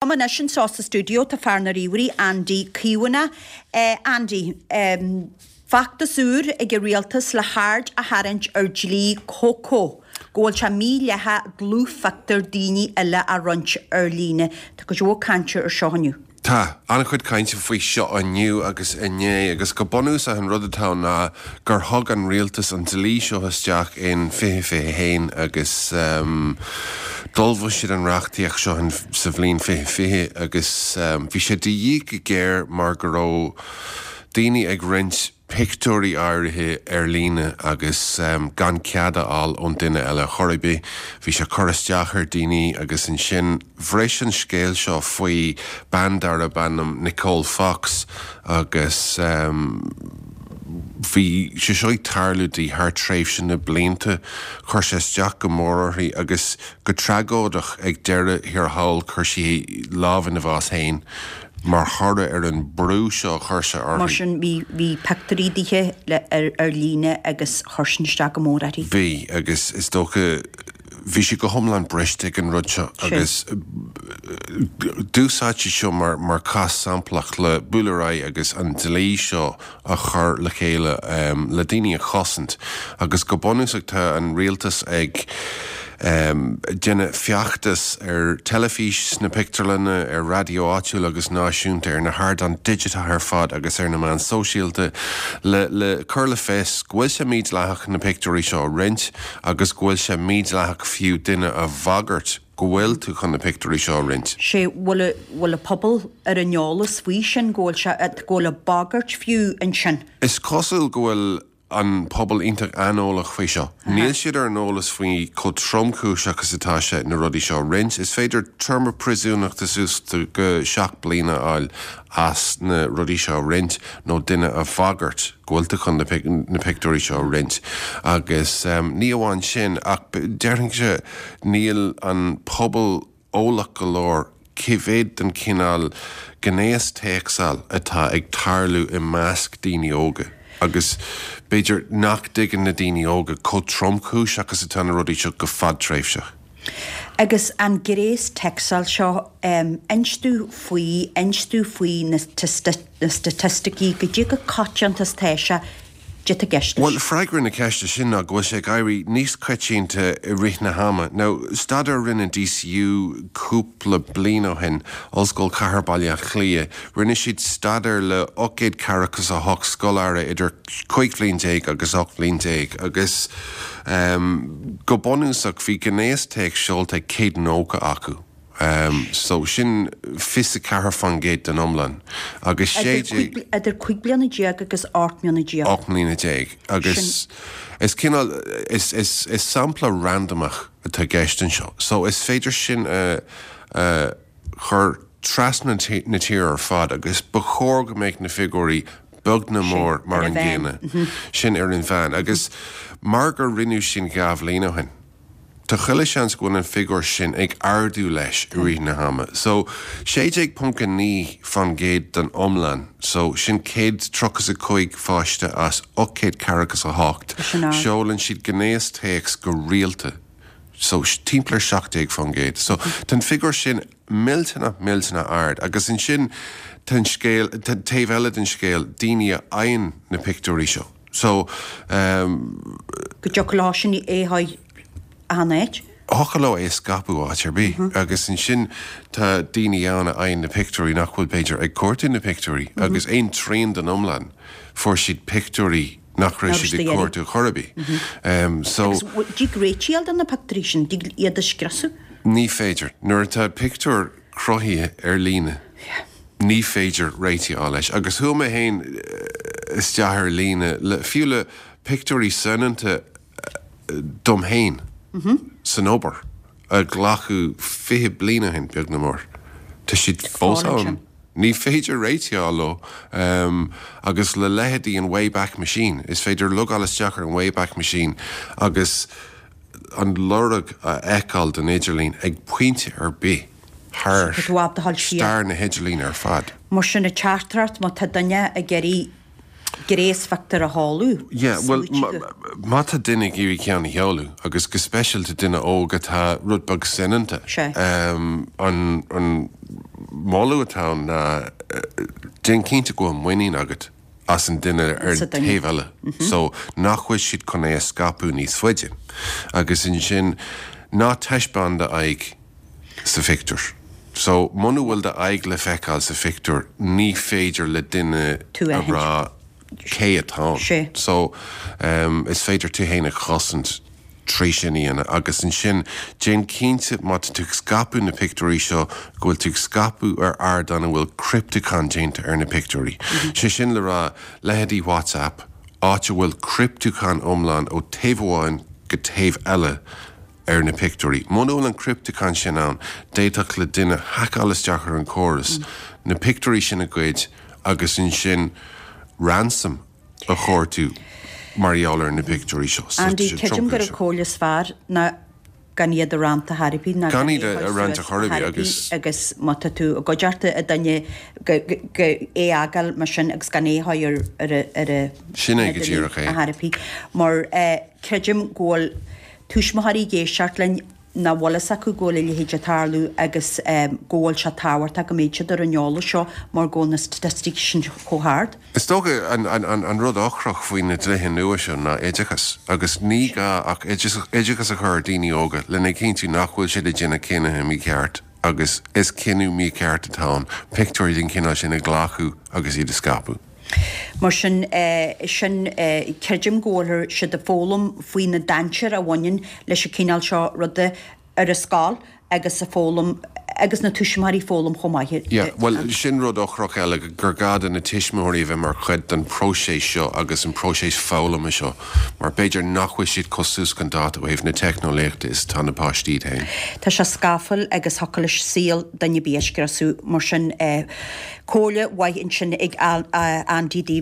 Liom anois anseo sa stiúideo tá fear na ríomhairí, Andy Caomhánach. Andy, feachtas úr ag an rialtas le haird a tharraingt ar dlí Coco, go bhfuil sé mídhleathach dlúthphictiúir daoine eile a roinnt ar líne. Tá cuid mhór cainte ar seo inniu. Tá an-chuid cainte faoi seo inniu agus inné agus go bunúsach an rud atá ann ná gur thug an rialtas an dlí seo isteach in 2021 agus d'ullmhaigh siad an reachtaíocht seo sa bhliain 2020 agus bhí sé de dhíth go géar mar go raibh daoine ag roinnt pictiúirí áirithe ar líne agus gan cead a fháil ón duine eile chor ar bith. Bhí sé ag cur isteach ar daoine agus ansin bhris an scéal seo faoi bean darb ainm Nicole Fox agus bhí sé seo ag tarlú di thar tréimhse na blianta. Chuir sé isteach go mór uirthi agus go tragóideach ag deireadh thiar thall chuir sí lámh ina bhás féin. mar thoradh ar an brú seo a chuir sé uirthi. Mar sin, bhí, bhí pictiúirí dithe le, ar, ar líne agus chuir sin isteach go mór uirthi. Bhí, agus is dócha, bhí sí go hiomlán briste ag an rud seo agus d'úsáid sí seo mar, mar cás samplach le bualadh ar aghaidh agus an dlí seo a chur le chéile le daoine a chosaint agus go bunúsach tá an rialtas ag déanamh feachtas ar teilifís, sna pictiúrlanna, ar raidió áitiúil agus náisiúnta, ar na hardáin digiteacha ar fad agus ar na meáin sóisialta le le cur le fios go bhfuil sé mídhleathach na pictiúirí seo a roinnt agus go bhfuil sé mídhleathach fiú duine a bhagairt go bhfuil tú chun na pictiúirí seo a roinnt. Sé, bhfuil, bhfuil an pobal ar an eolas faoi sin, go bhfuil sé, go bhfuil an bagairt fiú ansin? Is cosúil go bhfuil an pobal iontach aineolach faoi seo. Níl siad ar an eolas faoi chomh tromchúiseach is atá sé na rudaí seo a roinnt. Is féidir téarma príosúnachta suas go 7 bliana a fháil as na rudaí seo a roinnt nó duine a bhagairt go bhfuil tú chun na pictiúirí seo a roinnt. Agus ní amháin sin ach déarfainnse Níl an pobal eolach go leor cé mhéad den chineál gnéastéacsáil atá ag tarlú i measc daoine óga agus b'fhéidir nach dtuigeann na daoine óga chomh tromchúiseach is atá na rudaí seo go fadtréimhseach. Agus an gnéastéacsáil seo, inis domh faoi, inis domh faoi na staitisticí, goidé chomh coitianta is atá sé, Goidé tá i gceist leis. Bhuel, freagra na ceiste sin ná go bhfuil sé ag éirí níos coitianta i rith na hama. Now, staidéar a rinne DCU cúpla bliain ó shin, Ollscoil Chathair Baile Átha Cliath, rinne siad staidéar le 848 scoláire idir 15 bhliain agus 18 bhliain agus go bunúsach bhí gnéastéacs seolta ag 190 acu. So, sin 24% den iomlán. Agus 16. Idir 15 bliana agus 18 mbliana. 18 mbliana. Agus is cineál, is, is, is sampla randamach atá i gceist anseo. So, is féidir sin a, a chur trasna na tíre ar fad agus ba chóir go mbeadh na figiúirí beag nó mór mar an gcéanna. Sin ar an mheán. Agus mar gur rinneadh sin dhá bhliain ó shin. Tá chuile seans go bhfuil an figiúr sin ag ardú leis i rith na hama. So, 16.9% den iomlán, so sin 135 pháiste as 848, seolann siad gnéastéacs go rialta. So, timpeall ar 17%. So, tá an figiúr sin millteanach, millteanach ard. Agus ansin, tá an scéal, tá an taobh eile den scéal, daoine a fhaigheann na pictiúirí seo. So, Go dtiocfadh leo sin é a chur achan áit. Thiocfadh leo é a scaipeadh áit ar bith. Agus ansin tá daoine ann a fhaigheann na pictiúirí nach bhfuil b'fhéidir ag cuartú na pictiúirí agus aon trian den iomlán fuair siad pictiúirí nach raibh siad ag cuartú chor ar bith. So. Agus dtig réiteach a fháil do na pictiúirí sin, dtig iad a scriosadh? Ní féidir. Nuair atá pictiúr cruthaithe ar líne, ní féidir réiteach a fháil leis. Agus chuaigh mé féin isteach ar líne, le, fiú le pictiúirí soineanta dom féin san obair, a glacadh 20 bliain ó shin, beag nó mór. Tá siad fós ann. Ní féidir réiteach a fháil leo. Agus le leithéidí an Wayback Machine, is féidir logáil isteach ar an Wayback Machine agus an lorg a fheiceáil den idirlíon ag pointe ar bith thar stair na hidirlíne ar fad. Mar sin, an teachtaireacht, má tá duine ag iarraidh gnéasphictiúr a sheoladh, Yeah, bhuel, má tá duine ag iarraidh ceann a sheoladh, agus go speisialta duine óg atá rud beag soineanta, an, an. moladh atá ann ná déan cinnte go bhfuil muinín agat as an duine ar an taobh eile so nach bhfuil siad chun é a scaipeadh níos faide. Agus ansin ná taispeáin d'aghaidh sa phictiúr. So muna bhfuil d'aghaidh le feiceáil sa phictiúr ní féidir le duine a rá cé atá ann. So is féidir tú fhéin a chosaint trí sin a dhéanamh. Agus ansin déan cinnte má tá tú ag scaipeadh na pictiúirí seo go bhfuil tú ag scaipeadh ar ardán a bhfuil criptiúchán déanta ar na pictiúirí. Sé sin le rá, leithéidí WhatsApp, áit a bhfuil criptiúchán iomlán ó taobh amháin go taobh eile ar na pictiúirí. Muna bhfuil an criptiúchán sin ann, d'fhéadfadh le duine haiceáil isteach ar an chóras, na pictiúirí sin a ghoid agus ansin ransom a chuartú mar gheall ar na pictiúirí seo. Andy, creidim gur an comhairle is fearr ná gan iad a roinnt ar chor ar bith, ná gan iad a roinnt ar chor ar bith agus. Agus má tá tú i gcuideachta ag duine go é a fhágáil mar sin agus gan é a chur ar ar a Sin é go díreach é. ar chor ar bith. Mar creidim go bhfuil tuismitheoirí ag éisteacht linn nach bhfuil fhios acu go bhfuil a leithéid ag tarlú agus go bhfuil sé tábhachtach go mbeidh siad ar an eolas seo mar go bhfuil na staitisticí sin chomh hard. Is dócha an rud ocrach faoi na dlíthe nua seo ná oideachas agus ní gá ach oideachas a chur ar daoine óga lena chinntiú nach bhfuil siad ag déanamh cinnithe mícheart agus is cinneadh mícheart atá ann pictiúirí den chineál sin a ghlacadh agus iad a scaipeadh. Mar sin, sin, creidim go bhfuil siad ag foghlaim faoi na dainséir a bhaineann leis an cineál seo ruda ar an scoil agus ag foghlaim, agus na tuismitheoirí ag foghlaim chomh maith. Yeah, bhuel, sin rud ocrach eile, gur gá do na tuismitheoirí a bheith mar chuid den próiseas seo agus an próiseas foghlama seo, mar b'fhéidir nach bhfuil siad chomh suas chun dáta ó thaobh na teicneolaíochta is atá na páistí iad féin. Tá sé scafaill agus thiocfadh leis saol duine ar bith a scriosadh, mar sin. Comhairle mhaith ansin ag Andy daoibh.